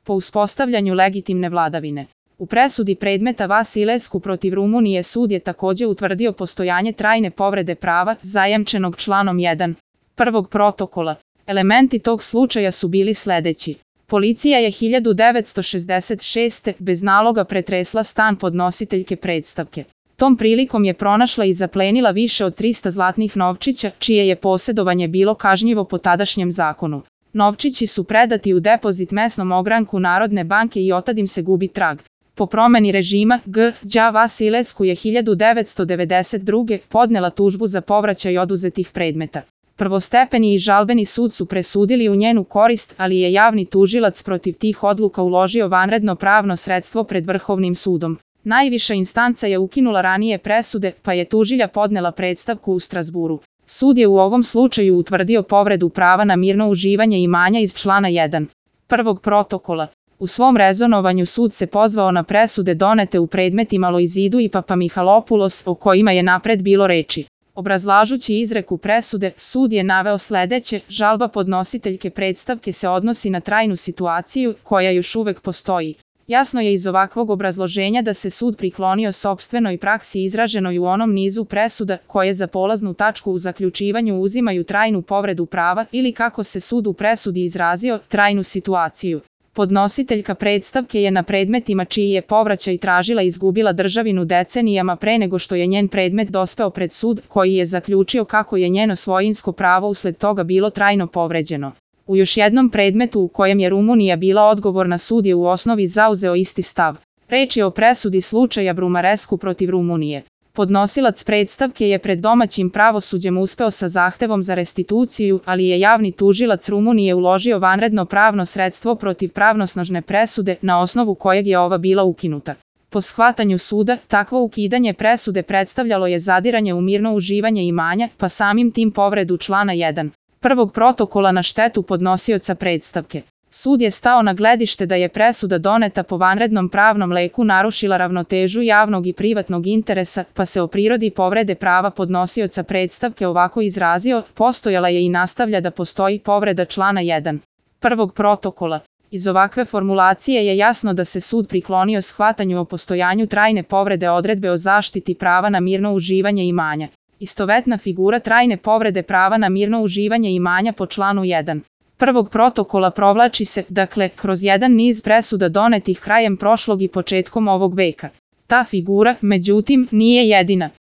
po uspostavljanju legitimne vladavine. U presudi predmeta Vasilescu protiv Rumunije sud je takođe utvrdio postojanje trajne povrede prava zajamčenog članom 1. prvog protokola. Elementi tog slučaja su bili sledeći. Policija je 1966. bez naloga pretresla stan podnositeljke predstavke. Tom prilikom je pronašla i zaplenila više od 300 zlatnih novčića, čije je posjedovanje bilo kažnjivo po tadašnjem zakonu. Novčići su predati u depozit mesnom ogranku Narodne banke i otad im se gubi trag. Po promeni režima, G.Đ. Vasilescu je 1992. podnela tužbu za povraćaj oduzetih predmeta. Prvostepeni i žalbeni sud su presudili u njenu korist, ali je javni tužilac protiv tih odluka uložio vanredno pravno sredstvo pred Vrhovnim sudom. Najviša instanca je ukinula ranije presude, pa je tužilja podnela predstavku u Strazburu. Sud je u ovom slučaju utvrdio povredu prava na mirno uživanje imanja iz člana 1. prvog protokola. U svom rezonovanju sud se pozvao na presude donete u predmetima Loizidu i Papamihalopulos, o kojima je napred bilo reči. Obrazlažući izreku presude, sud je naveo sledeće: žalba podnositeljke predstavke se odnosi na trajnu situaciju, koja još uvek postoji. Jasno je iz ovakvog obrazloženja da se sud priklonio sopstvenoj praksi izraženoj u onom nizu presuda, koje za polaznu tačku u zaključivanju uzimaju trajnu povredu prava ili, kako se sud u presudi izrazio, trajnu situaciju. Podnositeljka predstavke je na predmetima čiji je povraćaj tražila izgubila državinu decenijama pre nego što je njen predmet dospeo pred sud, koji je zaključio kako je njeno svojinsko pravo usled toga bilo trajno povređeno. U još jednom predmetu u kojem je Rumunija bila odgovorna, sud je u osnovi zauzeo isti stav. Reč je o presudi slučaja Brumarescu protiv Rumunije. Podnosilac predstavke je pred domaćim pravosuđem uspeo sa zahtevom za restituciju, ali je javni tužilac Rumunije uložio vanredno pravno sredstvo protiv pravnosnažne presude, na osnovu kojeg je ova bila ukinuta. Po shvatanju suda, takvo ukidanje presude predstavljalo je zadiranje u mirno uživanje imanja, pa samim tim povredu člana 1. prvog protokola na štetu podnosioca predstavke. Sud je stao na gledište da je presuda doneta po vanrednom pravnom leku narušila ravnotežu javnog i privatnog interesa, pa se o prirodi povrede prava podnosioca predstavke ovako izrazio: postojala je i nastavlja da postoji povreda člana 1. prvog protokola. Iz ovakve formulacije je jasno da se sud priklonio shvatanju o postojanju trajne povrede odredbe o zaštiti prava na mirno uživanje imanja. Istovetna figura trajne povrede prava na mirno uživanje imanja po članu 1. prvog protokola provlači se, dakle, kroz jedan niz presuda donetih krajem prošlog i početkom ovog veka. Ta figura, međutim, nije jedina.